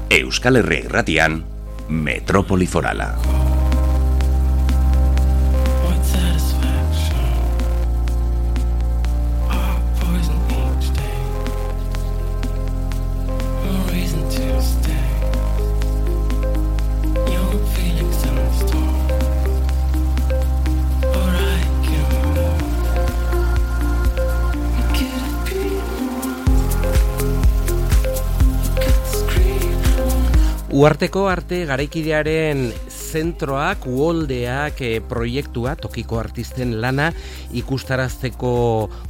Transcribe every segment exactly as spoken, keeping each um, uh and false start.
Euskal Herria Irratian, Metrópoli Forala. Uharteko arte garaikidearen zentroak, uholdeak e, proiektua, tokiko artisten lana ikustarazteko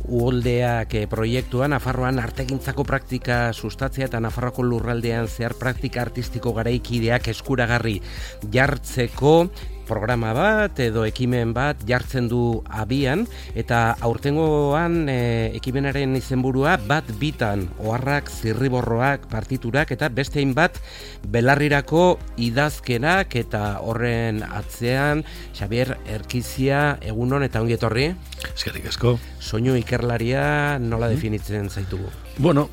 uholdeak e, proiektua, Nafarroan artegintzako praktika sustatzea eta Nafarroako lurraldean zehar praktika artistiko garaikideak eskuragarri jartzeko programa bat edo ekimen bat jartzen du abian, eta aurtengoan e, ekimenaren izenburua bat bitan, oharrak, zirriborroak, partiturak eta beste hainbat belarrirako idazkerak, eta horren atzean Xabier Erkizia, egunon eta ongi etorri. Eskerrik asko. Soinu ikerlaria nola definitzen zaitugu? Bueno,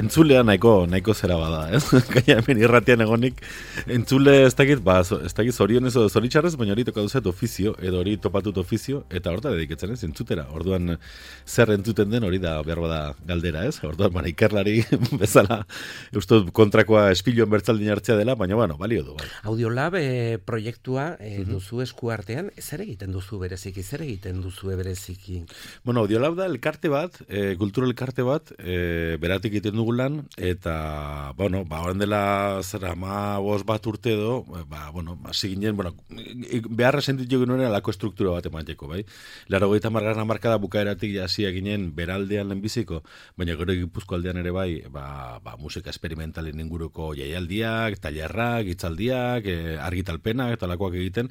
entzulea nahiko nahiko zera bada, ez? Gaina hemen irratian egonik entzule ez dakit, ba, ez dakit zorionez edo zoritxarrez, baina hori tokatu zait ofizio, edo hori topatut ofizio, eta horta dediketzen ez, entzutera. Orduan zer entzuten den hori da behar bada galdera, ez? Orduan, bana, ikerlari bezala, uste kontrakoa espiloen bertzaldin hartzea dela, baina, bueno, balio du. Bai. Audiolab e, proiektua e, duzu esku artean, zer egiten duzu bereziki, zer egiten duzu bereziki? Bueno, Audiolab da elkarte bat, e, kultura elkarte bat, e, beratik egiten dugu lan, eta, bueno, ba, horren dela zera ma bost bat urte edo, ba, bueno, hasi ginen, bueno, beharra sentitu genuen alako estruktura bat emateko, bai? Laro goita margarna markada bukaeratik jasia ginen beraldean lehenbiziko, baina gero Gipuzko aldean ere bai, ba, ba, musika esperimentalen inguruko jaialdiak, tailerrak, hitzaldiak, e, argitalpenak, eta alakoak egiten,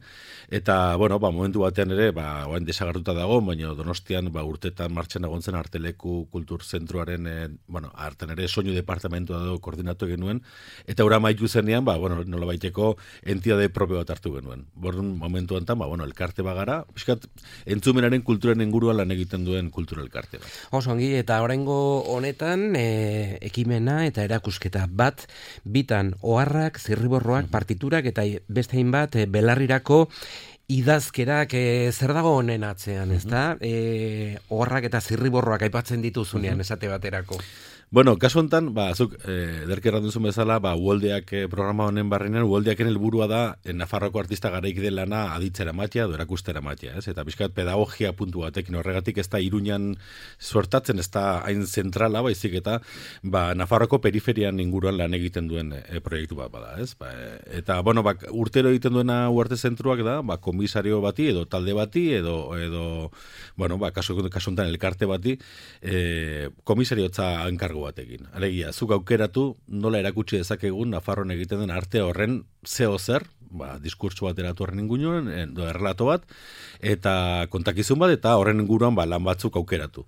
eta, bueno, ba, momentu batean ere, ba, oain desagartuta dago, baina Donostian, ba, urtetan martxan egon zen Arteleku Kultur Zentroaren e, bueno, hartan ere soinu departamentua edo koordinatu genuen, eta ura maitu zenean, ba, bueno, nola baiteko entidade propio bat hartu genuen. Bordun momentu enten, ba, bueno, elkarte bagara, piskat, entzumenaren kulturen inguruan lan egiten duen kultura elkarte bat. Oso ongi, eta oraingo honetan, e, ekimena eta erakusketa bat, bitan oharrak, zirriborroak, partiturak, eta beste hainbat e, belarrirako idazkerak, e, zer dago honen atzean, ez da? E, oharrak eta zirriborroak aipatzen dituzunean, esate baterako. Bueno, kasu honetan, ba, zuk, e, derkerra duzun bezala, ba, uholdeak e, programa honen barrenean, uholdeaken helburua da, e, Nafarroako artista garaikide lana aditzera matia, edo erakustera matia, ez? Eta pixkat pedagogia puntu batekin, horregatik ez da Iruñan sortatzen, ez da hain zentrala, baizik eta, ba, Nafarroako periferian inguruan lan egiten duen e, proiektu bat bada, ez? Ba, e, eta, bueno, ba, urtero egiten duena uarte zentruak da, ba, komisario bati, edo talde bati, edo, edo bueno, ba, kasu, kasu honetan elkarte bati, e, komisariotza enkargo batekin. Alegia, zuk aukeratu nola erakutsi dezakegun Nafarroan egiten den arte horren zeo zer, ba, diskurtso bat eratu horren inguruan, edo errelato bat, eta kontakizun bat, eta horren inguruan ba, lan batzuk aukeratu.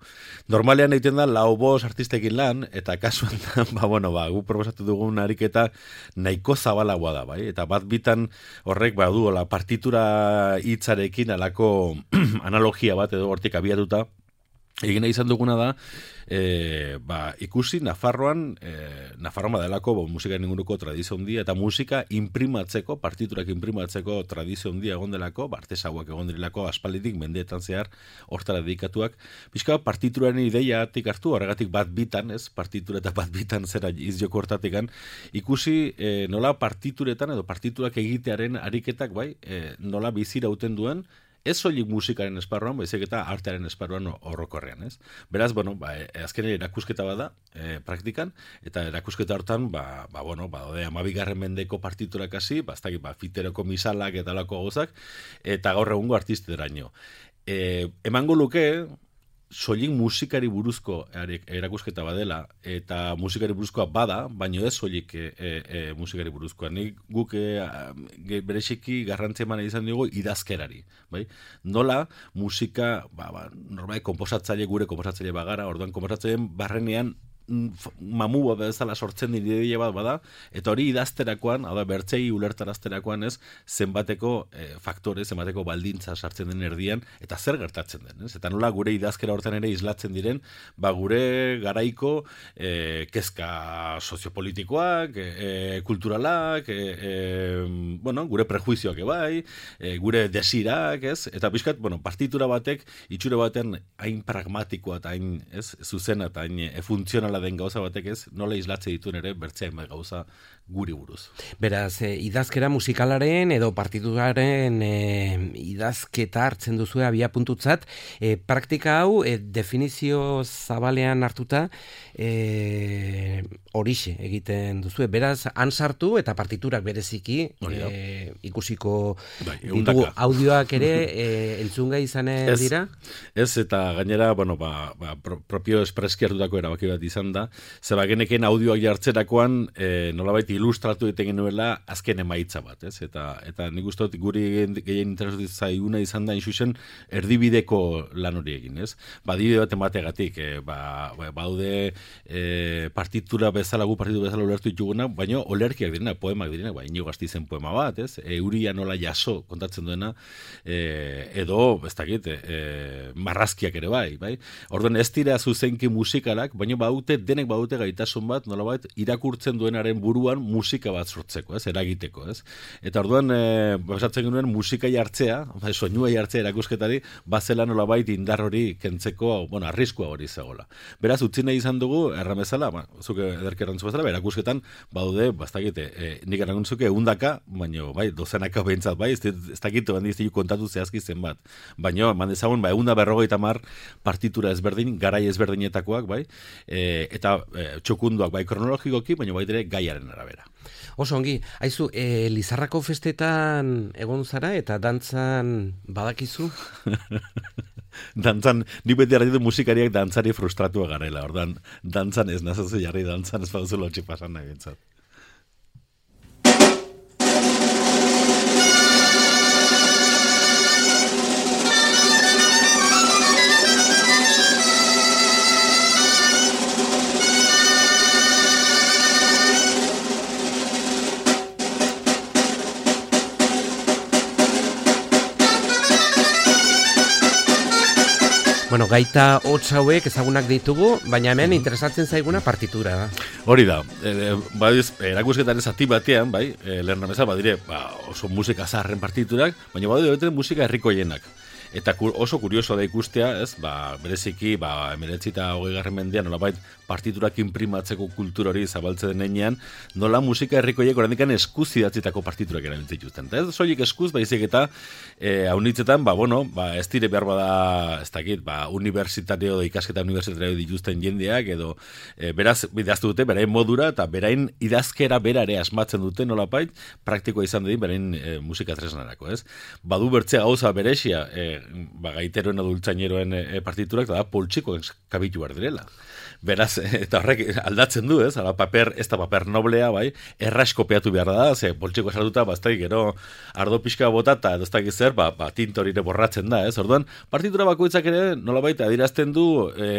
Normalean egiten da lau bost artistekin lan, eta kasuan da, ba, bueno, ba, gu proposatu dugun ariketa nahiko zabalagoa da, bai? Eta bat bitan horrek, ba, du, la partitura hitzarekin alako analogia bat, edo hortik abiatuta, egin izan duguna da, e, ba, ikusi Nafarroan, e, Nafarroan badelako bo, musikaren inguruko tradizio handia, eta musika imprimatzeko, partiturak imprimatzeko tradizio handia egon delako, ba, artesauak egon delako, aspalditik mendeetan zehar, hortara dedikatuak, pixka partituraren ideiatik hartu, horregatik bat bitan, ez, partitura eta bat bitan zera izjoko hortatikan, ikusi e, nola partituretan edo partiturak egitearen ariketak, bai, e, nola bizirauten duen, ez soilik musikaren esparruan, baizik eta artearen esparruan horrokorrean, ez? Beraz, bueno, ba, azken erakusketa bada, e, praktikan, eta erakusketa hortan, ba, ba bueno, ba, ode, amabigarren mendeko partiturak hasi, ba, ba, fiteroko misalak eta lako gauzak, eta gaur egungo artisteraino. E, emango luke, soilik musikari buruzko erakusketa badela, eta musikari buruzkoa bada, baino ez soilik e, e, musikari buruzkoa. Nik guk e, bereziki garrantzia eman izan dugu idazkerari. Bai? Nola musika, ba, ba, normal, komposatzaile gure komposatzaile bagara, orduan komposatzaileen barrenean mamua bezala sortzen den ideia bat bada, eta hori idazterakoan, hau da, bertzei ulertarazterakoan ez, zenbateko e, faktore, zenbateko baldintza sartzen den erdian, eta zer gertatzen den, ez? Eta nola gure idazkera hortan ere islatzen diren, ba gure garaiko e, kezka soziopolitikoak, e, kulturalak, e, e, bueno, gure prejuizioak ebai, e, gure desirak, ez? Eta pixkat, bueno, partitura batek, itxure batean hain pragmatikoa eta hain, ez, zuzena eta hain e, funtzionala den gauza batek, ez, nola islatze dituen ere bertzean gauza guri buruz. Beraz, e, idazkera musikalaren edo partituraren e, idazketa hartzen duzu abia puntutzat, e, praktika hau e, definizio zabalean hartuta e, horixe egiten duzu. Beraz, han sartu eta partiturak bereziki e, ikusiko bai, ditugu audioak ere e, entzungai izanen dira? Ez, eta gainera, bueno, ba, ba, pro, propio espreski hartutako erabaki bat izan da, zeba geneken audioak jartzerakoan e, nolabait ilustratu egiten genuela azken emaitza bat, ez? Eta, eta nik uste dut guri gehien interesatu zaiguna izan da inxusen erdibideko lan hori egin, ez? Ba, adibide bat emategatik, e, ba, ba, baude e, partitura bezala, gu partitura bezala ulertu dituguna, baina olerkiak direna, poemak direna, ba, Inigo Gasteizen poema bat, ez? Euria nola jaso kontatzen duena, e, edo, ez dakit, e, marrazkiak ere bai, bai? Orduan ez dira zuzenki musikalak, baina baute, denek baute gaitasun bat, nolabait, irakurtzen duenaren buruan musika bat sortzeko, ez? Eragiteko, ez? Eta orduan, e, basatzen genuen musika jartzea, bai, soinua jartzea erakusketari, bazela nolabait indar hori kentzeko, bueno, arriskua hori zegoela. Beraz, utzi nahi izan dugu, erramezala, ba, zuke ederke errantzu bezala, erakusketan, baude, bastakite, e, nik errantzuk ehundaka, baina, bai, dozenaka behintzat, bai, ez, ez dakit, bandi ez kontatu zehazki zenbat. Baina, man dezagun, ba, ehunda berrogeita mar partitura ezberdin, garai ezberdinetakoak, bai, e, eta e, txokunduak, bai, kronologikoki, baina bai dire gaiaren arabera. Oso ongi, haizu, e, Lizarrako festetan egon zara eta dantzan badakizu? Dantzan, ni beti arditu musikariak dantzari frustratua garela, ordan, dantzan ez nazazu jarri, dantzan ez baduzu lotxi pasan nahi bintzat. Bueno, gaita hotz hauek ezagunak ditugu, baina hemen interesatzen zaiguna partitura da. Hori da, e, badiz, erakusketaren zati batean, bai, e, lehen rameza, badire, ba, oso musika zaharren partiturak, baina badire musika herrikoienak. Eta oso kurioso da ikustea, ez, ba, bereziki, ba, emeretzi eta hogei garren mendean, nolabait, partiturak imprimatzeko kultura hori zabaltzen denean, nola musika herrikoiek orandikan eskuz idatzitako partiturak erabiltzen dituzten. Eta ez soilik eskuz, baizik eta e, haunitzetan, ba, bueno, ba, ez dire behar bada, ez dakit, ba, universitario, ikasketa universitario dituzten jendeak, edo, e, beraz, idaztu dute, berain modura, eta berain idazkera berare asmatzen dute, nolapait, praktikoa izan dedin, berain e, musika tresnarako, ez? Badu bertzea gauza beresia, e, ba, gaiteroen adultzaineroen e, partiturak, da poltsiko kabitu behar direla. Beraz, eta horrek aldatzen du, ez? Ala, paper, ez da paper noblea, bai, erraz kopiatu behar da, ze poltsiko esartuta, baztai, gero, ardo pixka bota, eta ez da zer, ba, ba, tintorire borratzen da, ez? Orduan, partitura bakoitzak ere, nolabait, adirazten du, e,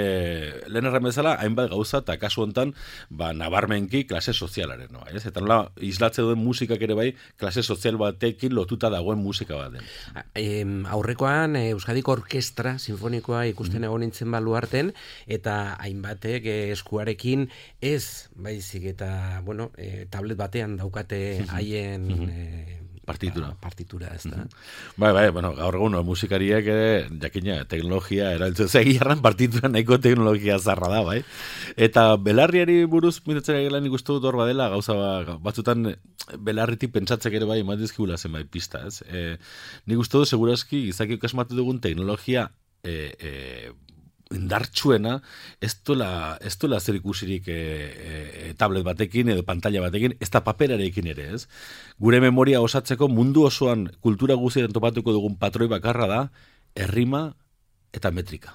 lehen erremezala, hainbat gauza, eta kasu hontan, ba, nabarmenki klase sozialaren, no, ez? Eta nola, islatze duen musikak ere bai, klase sozial batekin lotuta dagoen musika bat den. E, aurrekoan, Euskadiko Orkestra Sinfonikoa ikusten egon nintzen baluarten, eta hainbat eskuarekin ez, baizik eta, bueno, e, tablet batean daukate haien e, partitura. Ba, partitura, ez da. Bai, bai, bueno, gaur egun musikariak ere, jakina, teknologia erabiltzen zegiarran partitura nahiko teknologia zarra da, bai. Eta belarriari buruz mitatzen egela nik uste dut hor badela, gauza batzutan belarritik pentsatzek ere bai ematizkigula zenbait pista, ez. E, nik uste dut segurazki izakik asmatu dugun teknologia e, e, indartsuena, ez dola, ez dola zer ikusirik e, e, tablet batekin edo pantalla batekin, ez da paperarekin ere, ez? Gure memoria osatzeko mundu osoan kultura guztien topatuko dugun patroi bakarra da, errima eta metrika.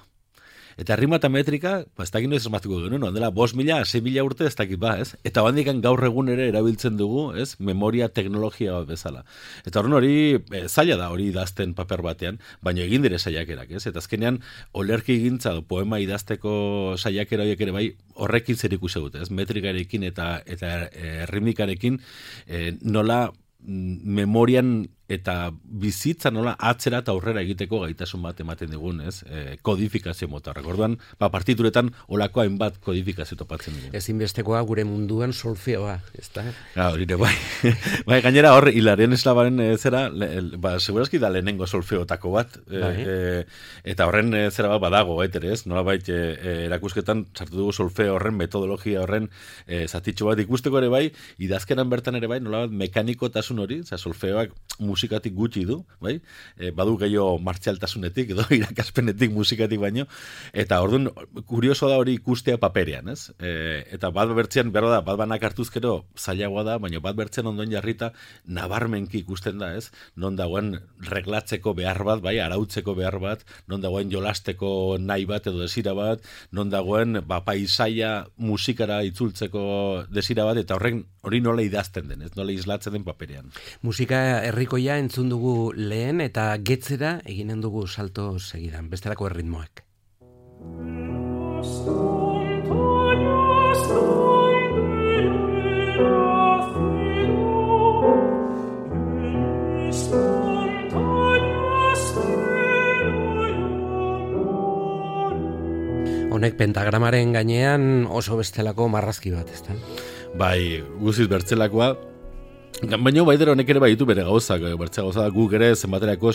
Eta rima eta metrika, ba, ez dakit noiz esmatuko genuen, ondela, bost mila, sei mila urte ez dakit ba, ez? Eta bandikan gaur egun ere erabiltzen dugu, ez? Memoria teknologia bat bezala. Eta horren hori, e, zaila da hori idazten paper batean, baina egin dire saiakerak, ez? Eta azkenean, olerki gintza, poema idazteko saiakera horiek ere bai, horrekin zer ikusi dute, ez? Metrikarekin eta, eta e, rimikarekin, e, nola memorian eta bizitza nola atzera eta aurrera egiteko gaitasun bat ematen digun, ez? E, kodifikazio mota. Orduan, ba, partituretan olako hainbat kodifikazio topatzen dugu. Ezinbestekoa gure munduan solfeoa, ezta? Ja, hori bai. Bai, gainera hor, Hilarion Eslabaren e, zera, le, ba, segurazki da lehenengo solfeotako bat, e, bai. e, eta horren e, zera bat badago, baitere, ez? Nola bait, e, e, erakusketan sartu dugu solfeo horren, metodologia horren e, zatitxo bat ikusteko ere bai, idazkeran bertan ere bai, nola bat mekanikotasun hori, za solfeoak musikatik gutxi du, bai? E, badu gehiago martzialtasunetik edo irakaspenetik musikatik baino, eta orduan kurioso da hori ikustea paperean, ez? E, eta bat bertzean, berro da, bat banak hartuzkero zailagoa da, baina bat bertzean ondoen jarrita nabarmenki ikusten da, ez? Non dagoen reglatzeko behar bat, bai, arautzeko behar bat, non dagoen jolasteko nahi bat edo desira bat, non dagoen ba, paisaia musikara itzultzeko desira bat, eta horrek hori nola idazten den, ez? Nola islatzen den paperean. Musika herrikoia entzun dugu lehen eta getzera eginen dugu salto segidan, bestelako erritmoak. Honek pentagramaren gainean oso bestelako marrazki bat, ezta? Bai, guziz bertzelakoa. Baina baidero honek ere baitu bere gauzak, bertzea gauza da guk ere zenbaterako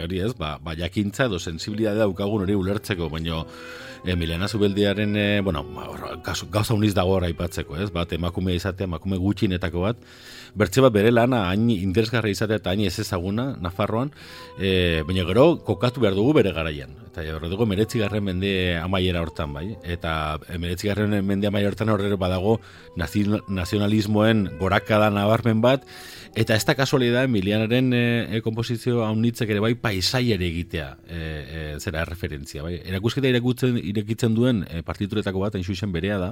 hori ez, ba, ba jakintza edo sensibilidadea daukagun hori ulertzeko, baina Emiliana Zubeldiaren, e, bueno, gauza uniz dago hor aipatzeko, ez, bat emakume izatea, emakume gutxinetako bat, bertze bat bere lana hain interesgarra izatea eta hain ez ezaguna, Nafarroan, e, baina gero kokatu behar dugu bere garaian. Eta horre dugu meretzigarren mende amaiera hortan, bai? Eta meretzigarren mende amaiera hortan horre badago nazionalismoen gorakada nabarmen bat, eta ez da kasualidad Emilianaren e, komposizio haunitzek ere bai paisaiare egitea e, e, zera referentzia, bai? Erakusketa irakutzen, irekitzen duen e, partituretako bat, hain zuzen berea da,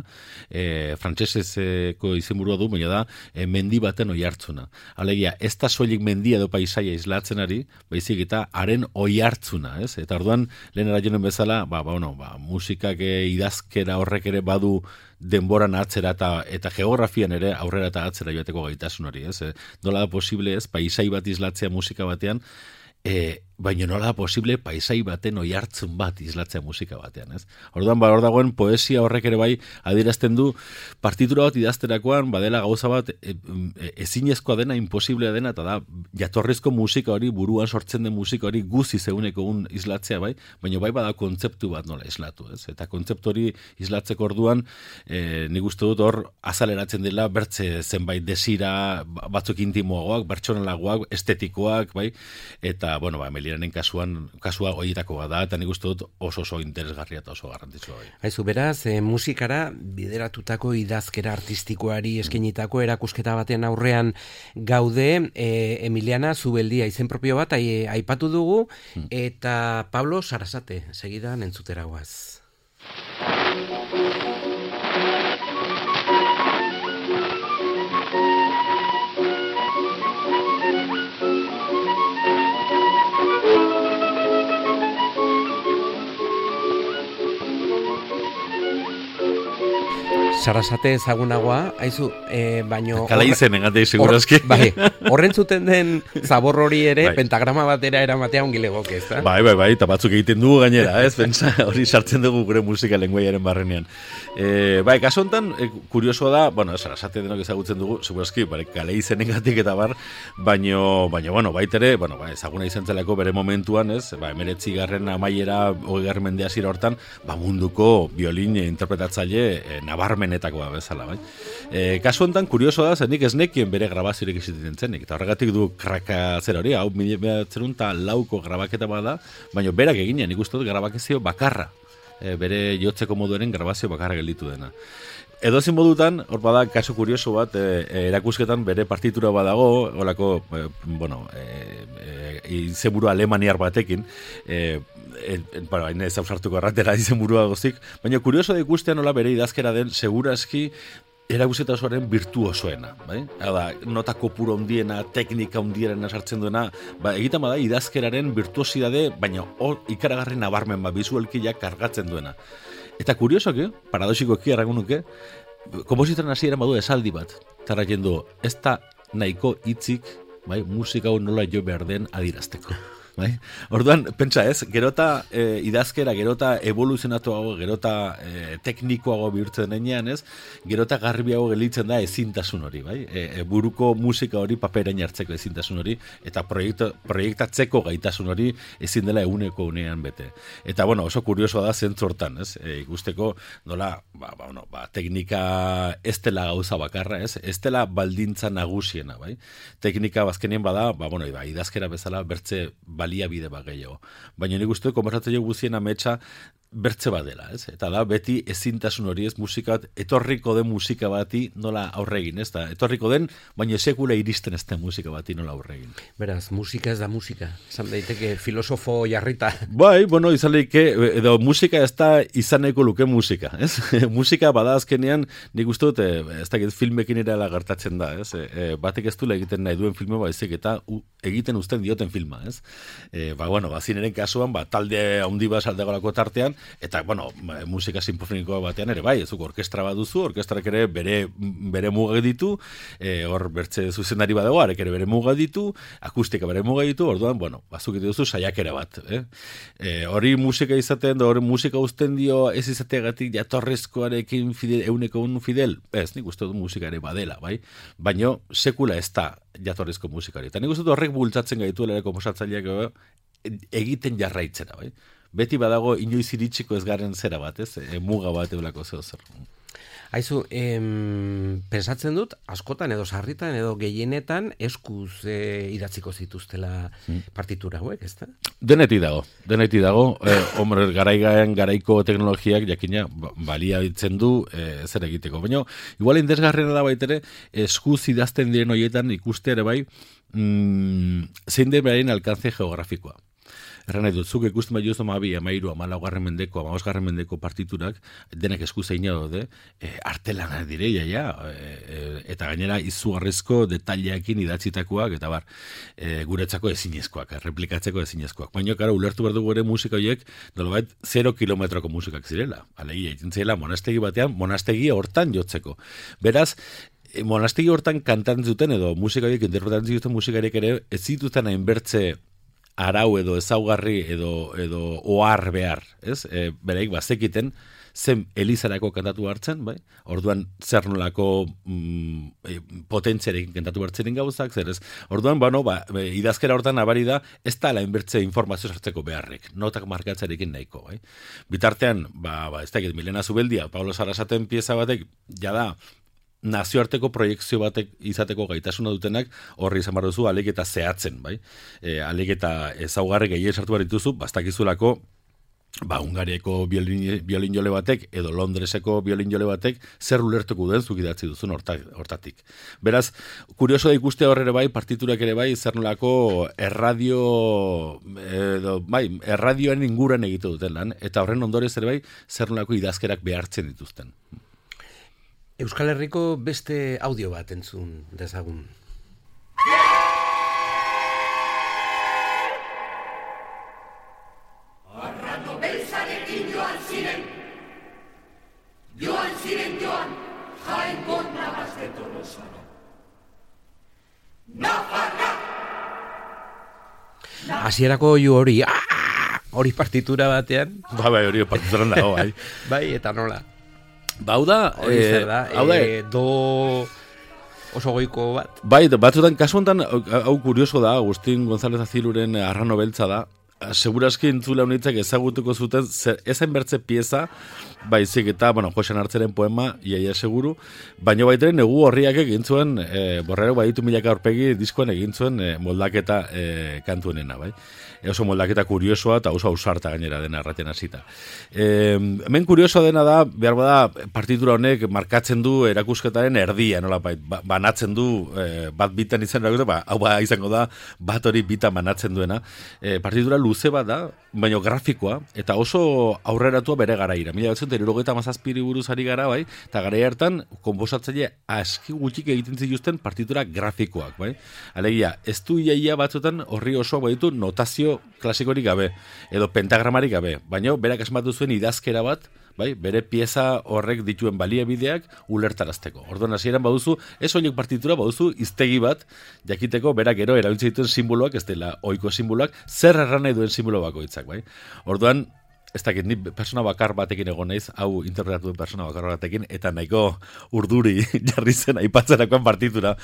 e, frantsesezko izenburua du, baina da, e, mendi baten oihartzuna. Alegia, ez da soilik mendia edo paisaia islatzen ari, baizik eta haren oihartzuna, ez? Eta orduan, lehen eraionen bezala, ba, ba, bueno, ba, musikak e, idazkera horrek ere badu denboran atzera eta, eta geografian ere aurrera eta atzera joateko gaitasun hori, ez? E, nola da posible, ez? Paisai bat islatzea musika batean, e, baina nola da posible paisai baten oihartzun bat islatzea musika batean, ez? Orduan, ba, hor dagoen poesia horrek ere bai adierazten du partitura bat idazterakoan badela gauza bat e, e, ezinezkoa dena, imposiblea dena, eta da jatorrizko musika hori, buruan sortzen den musika hori guzi zeuneko un islatzea bai, baina bai bada kontzeptu bat nola islatu, ez? Eta kontzeptu hori islatzeko orduan e, nik uste dut hor azaleratzen dela bertze zenbait desira, batzuk intimoagoak, pertsonalagoak, estetikoak, bai, eta, bueno, ba, Emilianen kasuan, kasua horietako bada, eta nik uste dut oso oso interesgarria eta oso garrantzitsua bai. Aizu, beraz, e, musikara bideratutako idazkera artistikoari eskenitako erakusketa baten aurrean gaude, e, Emiliana Zubeldia izen propio bat ai, aipatu dugu, eta Pablo Sarasate, segidan entzutera guaz. Sarasate ezagunagoa, haizu, e, baino... Kala izen, engatei, segurazki. Bai, horren zuten den zabor hori ere, bai. Pentagrama batera eramatea ongi legoke, ez da? Bai, bai, bai, eta batzuk egiten dugu gainera, ez, pentsa, hori sartzen dugu gure musika lenguaiaren barrenean. E, bai, kaso honetan, e, kuriosoa da, bueno, Sarasate denok ezagutzen dugu, segurazki, bai, kala izenengatik eta bar, baino, baino, bueno, baitere, bueno, bai, ezaguna izan zelako bere momentuan, ez, bai, emeretzi garren amaiera, hogei garren mendea zira hortan, ba, munduko biolin interpretatzaile e, nabarmen etakoa bezala, bai. E, kasu honetan, kurioso da, zenik ez nekien bere grabaziorik iziten zenik, eta horregatik du kraka zer hori, hau mila zerun eta lauko grabaketa bada, baina berak eginean ikusten dut grabakezio bakarra, e, bere jotzeko moduaren grabazio bakarra gelditu dena. edozein modutan, hor bada kasu kurioso bat, e, erakusketan bere partitura badago, holako, e, bueno, e, e, izenburu alemaniar batekin, e, e, bueno, hain ez ausartuko erratera izenburua gozik, baina kurioso da ikustea nola bere idazkera den, segurazki, erakusketa osoaren virtuosoena, bai? Hada, nota kopuru handiena, teknika handiena sartzen duena, ba, egiten bada idazkeraren virtuosidade, baina hor ikaragarri nabarmen, ba, bizualkia kargatzen duena. Eta kuriosoki, paradoxikoki errango nuke, kompositoren hasieran badu esaldi bat, tarra jendu, ez da nahiko hitzik, bai, musika hau nola jo behar den adirazteko. Bai? Orduan, pentsa ez, gerota e, idazkera, gerota evoluzionatuago, gerota e, teknikoago bihurtzen denean ez, gerota garbiago gelitzen da ezintasun hori, bai? E, e, buruko musika hori paperain hartzeko ezintasun hori, eta proiektu, proiektatzeko gaitasun hori ezin dela eguneko unean bete. Eta, bueno, oso kuriosoa da zentzu hortan, ez? E, ikusteko, nola, ba, ba, bueno, ba, teknika ez dela gauza bakarra, ez? Ez dela baldintza nagusiena, bai? Teknika bazkenien bada, ba, bueno, ba, idazkera bezala bertze baliabide bat gehiago. Baina nik uste konbertzatzen guztien ametsa bertze bat dela, ez? Eta da, beti ezintasun hori ez musika bat, etorriko den musika bati nola aurre egin, ez da? Etorriko den, baina sekula iristen ez den musika bati nola aurre egin. Beraz, musika ez da musika. Esan daiteke filosofo jarrita. Bai, bueno, izan leike, edo musika ez da izaneko luke musika, ez? Musika bada azkenean, nik uste dut, ez da, filmekin ere gertatzen da, ez? E, batek ez duela egiten nahi duen filme baizik eta u, egiten uzten dioten filma, ez? E, ba, bueno, ba, zineren kasuan, ba, talde handi bat saldegolako tartean, eta, bueno, musika sinfonikoa batean ere, bai, ezuk orkestra bat duzu, orkestrak ere bere, bere mugak ditu, e, hor bertze zuzendari badago, arek ere bere mugak ditu, akustika bere mugak ditu, orduan, bueno, bazuk duzu saiakera bat, eh? E, hori musika izaten, da hori musika uzten dio ez izateagatik jatorrezkoarekin fidel, euneko un fidel, ez, nik uste dut musika ere badela, bai, baina sekula ez da jatorrezko musikari, eta nik uste dut horrek bultzatzen gaituela ere komposatzaileak egiten jarraitzera, bai? Beti badago inoiz iritsiko ez garen zera bat, ez? E, muga bat eulako zeo zer. Aizu, em, pensatzen dut, askotan edo sarritan edo gehienetan eskuz e, idatziko zituztela partitura hauek, ez da? Deneti dago, deneti dago. E, hombre, garaigaen garaiko teknologiak jakina balia ditzen du e, zer egiteko. Baina, igual indesgarrena da baitere, eskuz idazten diren horietan ikuste ere bai, mm, zein den beraien alkance geografikoa. Erran nahi dut, zuk ikusten bai jozto mabi, amairu, amalaugarren mendeko, amabosgarren mendeko partiturak, denak eskuzeina daude, e, artelana direia, ja, e, e, eta gainera izugarrizko detaileakin idatzitakoak, eta bar, e, guretzako ezinezkoak, replikatzeko ezinezkoak. Baina, karo, ulertu behar dugu ere musika horiek, nolabait, zero kilometroko musikak zirela. Alegia, egiten zirela, monastegi batean, monastegi hortan jotzeko. Beraz, monastegi hortan kantatzen zuten, edo musika horiek interpretatzen zuten musikariek ere, ez zituzten hainbertze arau edo ezaugarri edo edo ohar behar, ez? E, bereik bazekiten zen elizarako kantatu hartzen, bai? Orduan zer nolako mm, e, potentziarekin kantatu hartzen gauzak, zer ez? Orduan, bueno, ba, idazkera hortan nabari da, ez da la inbertze informazio sartzeko beharrek, notak markatzarekin nahiko, bai? Bitartean, ba, ba ez da, Milena Zubeldia, Pablo Sarasaten pieza batek, jada, nazioarteko proiektzio batek izateko gaitasuna dutenak horri izan behar duzu alik eta zehatzen, bai? E, alik eta ezaugarri gehien sartu behar dituzu, bastakizulako ba, Hungariako biolin, biolin jole batek edo Londreseko biolin jole batek zer ulertuko duen zuk idatzi duzun hortatik. Beraz, kurioso da ikustea horre bai, partiturak ere bai, zer nolako erradio, edo, bai, erradioen inguran egite duten lan, eta horren ondorez ere bai, zer nolako idazkerak behartzen dituzten. Euskal Herriko beste audio bat entzun dezagun. Arrano beltzarekin joan ziren, joan ziren joan, Jaengo nabaz de Tolosara. Nafarra! Hasierako ju hori, hori partitura batean. Ba, bai, hori partituran dago, bai. Bai, eta nola. Bau da, eh, da hau da, eh, do oso goiko bat. Bai, batzutan, kasu honetan, hau kurioso da, Agustin González Aziluren Arrano beltza da, segurazki entzule honitzak ezagutuko zuten, ezain bertze pieza, baizik eta, bueno, Josean Hartzeren poema, iaia seguru, baino baiteren negu horriak egin zuen, e, borrero baditu milaka aurpegi diskoan egin zuen e, moldaketa e, kantuenena, bai? E, oso moldaketa kuriosoa eta oso ausarta gainera dena erraten hasita. E, hemen kuriosoa dena da, behar bada, partitura honek markatzen du erakusketaren erdia, nola bait, ba, banatzen du, e, bat bitan izan erakusketa, ba, hau ba, izango da, bat hori bitan banatzen duena. E, partitura luze bat da, baino grafikoa, eta oso aurreratua bere garaira. Mila batzen, hirurogeita hamazazpiri buruz ari gara, bai, eta garaia hartan, konposatzaile aski gutxik egiten zituzten partitura grafikoak, bai. Alegia, ez du iaia batzutan horri oso baditu notazio klasikorik gabe, edo pentagramarik gabe, baina berak asmatu zuen idazkera bat, bai, bere pieza horrek dituen baliabideak ulertarazteko. Orduan hasieran baduzu, ez horiek partitura baduzu hiztegi bat, jakiteko berak gero erabiltzen dituen simboloak, ez dela ohiko simboloak, zer erran nahi duen simbolo bakoitzak, bai. Orduan, ez dakit, ni persona bakar batekin egon naiz, hau interpretatu duen persona bakar batekin, eta nahiko urduri jarri zen aipatzerakoan partitura.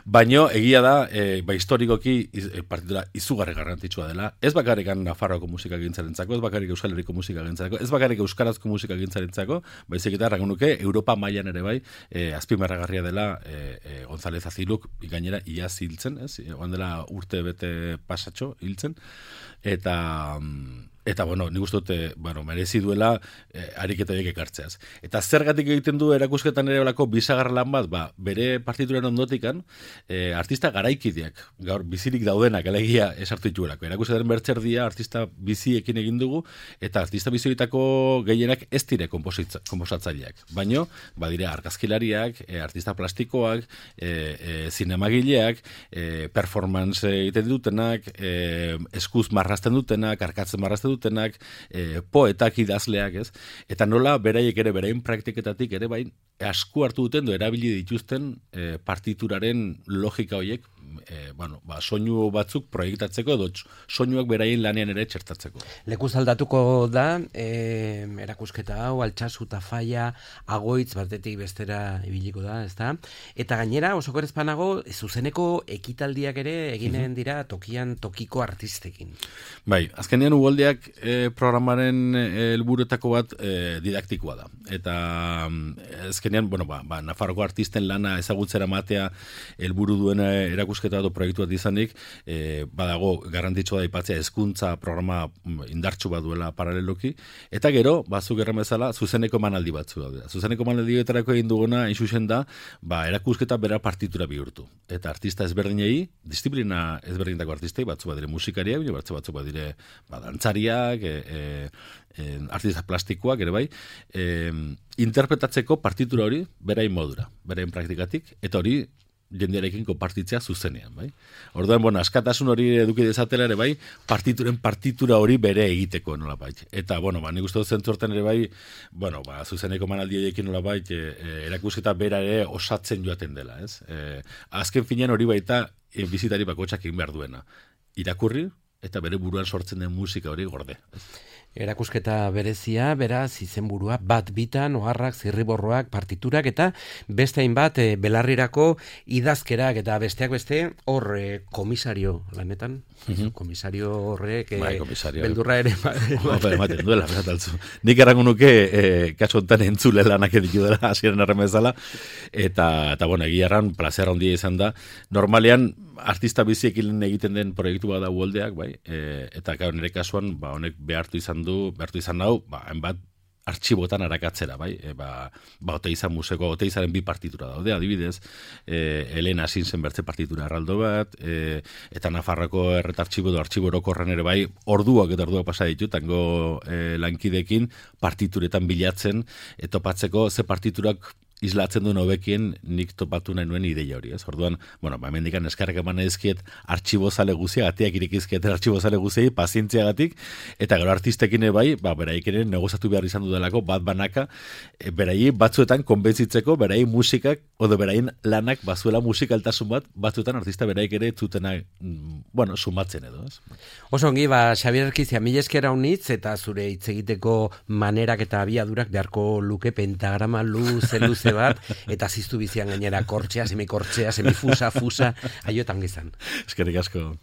Baino, egia da, e, ba, historikoki e, partitura izugarri garrantzitsua dela, ez bakarrik Nafarroako musika gintzarentzako, ez bakarrik Euskal Herriko musika gintzarentzako, ez bakarrik Euskarazko musika gintzarentzako, baizik eta errango nuke, Europa mailan ere bai, e, azpimarragarria dela e, e, González Aziluk, gainera, iaz hiltzen, ez? Oan dela urte bete pasatxo hiltzen, eta... Eta, bueno, nik uste dute, bueno, merezi duela eh, ariketa horiek ekartzeaz. Eta zergatik egiten du erakusketan ere olako bisagar lan bat, ba, bere partituren ondotikan, eh, artista garaikideak, gaur bizirik daudenak, alegia esartu dituelako. Erakusketaren bertzerdia artista biziekin egin dugu, eta artista bizioitako gehienak ez dire komposatzaileak. Baino, badire argazkilariak, eh, artista plastikoak, eh, eh, zinemagileak, eh, performance egiten dutenak, eh, eskuz marrazten dutenak, arkatzen marrazten dutenak, e, poetak idazleak, ez? Eta nola beraiek ere berain praktiketatik ere bain asku hartu duten do erabili dituzten e, partituraren logika horiek, e, bueno, ba, soinu batzuk proiektatzeko edo soinuak beraien lanean ere txertatzeko. Lekuz aldatuko da, e, erakusketa hau, Altsasu eta Faia, Agoitz batetik bestera ibiliko da, ezta? Eta gainera, oso korezpanago, zuzeneko ekitaldiak ere eginen dira tokian tokiko artistekin. Bai, azkenean Uholdeak e, programaren helburuetako bat e, didaktikoa da. Eta azkenean, bueno, ba, ba, Nafarroko artisten lana ezagutzera matea helburu duen erakusketa edo proiektu bat izanik, e, badago garrantzitsua da aipatzea hezkuntza programa indartsu bat duela paraleloki, eta gero, bazuk erran bezala, zuzeneko manaldi batzu daude. Zuzeneko manaldi betarako egin duguna, insusen da, ba, erakusketa bera partitura bihurtu. Eta artista ezberdinei, disiplina ezberdintako artistei, batzu badire musikariak, batzu batzu badire ba, dantzariak, e, e, e, artista plastikoak, ere bai, e, interpretatzeko partitura hori berain modura, berain praktikatik, eta hori jendearekin konpartitzea zuzenean, bai. Orduan, bueno, askatasun hori eduki dezatela ere bai, partituren partitura hori bere egiteko nolabait. Eta, bueno, ba, nik uste dut zentzorten ere bai, bueno, ba, zuzeneko manaldiekin nolabait, e, e, erakusketa bera ere osatzen joaten dela, ez? E, azken finean hori baita, e, bizitari bakotxak egin behar duena. Irakurri, eta bere buruan sortzen den musika hori gorde. Erakusketa berezia, beraz, izenburua, bat bitan, oharrak, zirriborroak, partiturak, eta beste hainbat e, belarrirako idazkerak, eta besteak beste, hor e, komisario lanetan, mm-hmm. komisario horrek, e, bai, komisario, beldurra ere. Ematen duela, bezataltzu. Nik errango nuke, e, kaso enten entzule lanak editu dela, hasieran erremezala, eta, eta bueno, egia erran, plazera ondia izan da, normalean, artista biziekin egiten den proiektu bada Uholdeak, bai, e, eta gau nire kasuan, ba, honek behartu izan du, behartu izan hau, ba, hainbat artxibotan arakatzera, bai, e, ba, ba, Oteizan museko, Oteizaren bi partitura daude, adibidez, e, Elena Sinsen bertze partitura erraldo bat, e, eta Nafarroko erretartxibo edo artxibo orokorren ere bai, orduak eta orduak pasa ditu, tango e, lankidekin partituretan bilatzen, e, topatzeko ze partiturak islatzen duen hobekien nik topatu nahi nuen ideia hori, ez? Orduan, bueno, ba, mendikan eskarrak eman ezkiet artxibozale guzia, gatiak irikizkieten artxibozale guziei, pazientziagatik, eta gero artistekin bai, ba, beraik ere negozatu behar izan dudalako, bat banaka, e, berai batzuetan konbentzitzeko, berai musikak, odo berain lanak, bazuela musikaltasun bat, batzuetan artista beraik ere zutena, bueno, sumatzen edo, ez? Oso ongi, ba, Xabier Erkizia, mila eskera unitz, eta zure hitz egiteko manerak eta abiadurak beharko luke pentagrama luze luze bat, eta ziztu bizian gainera kortxea, semikortxea, semifusa, fusa, aiotan gizan. Eskerrik asko.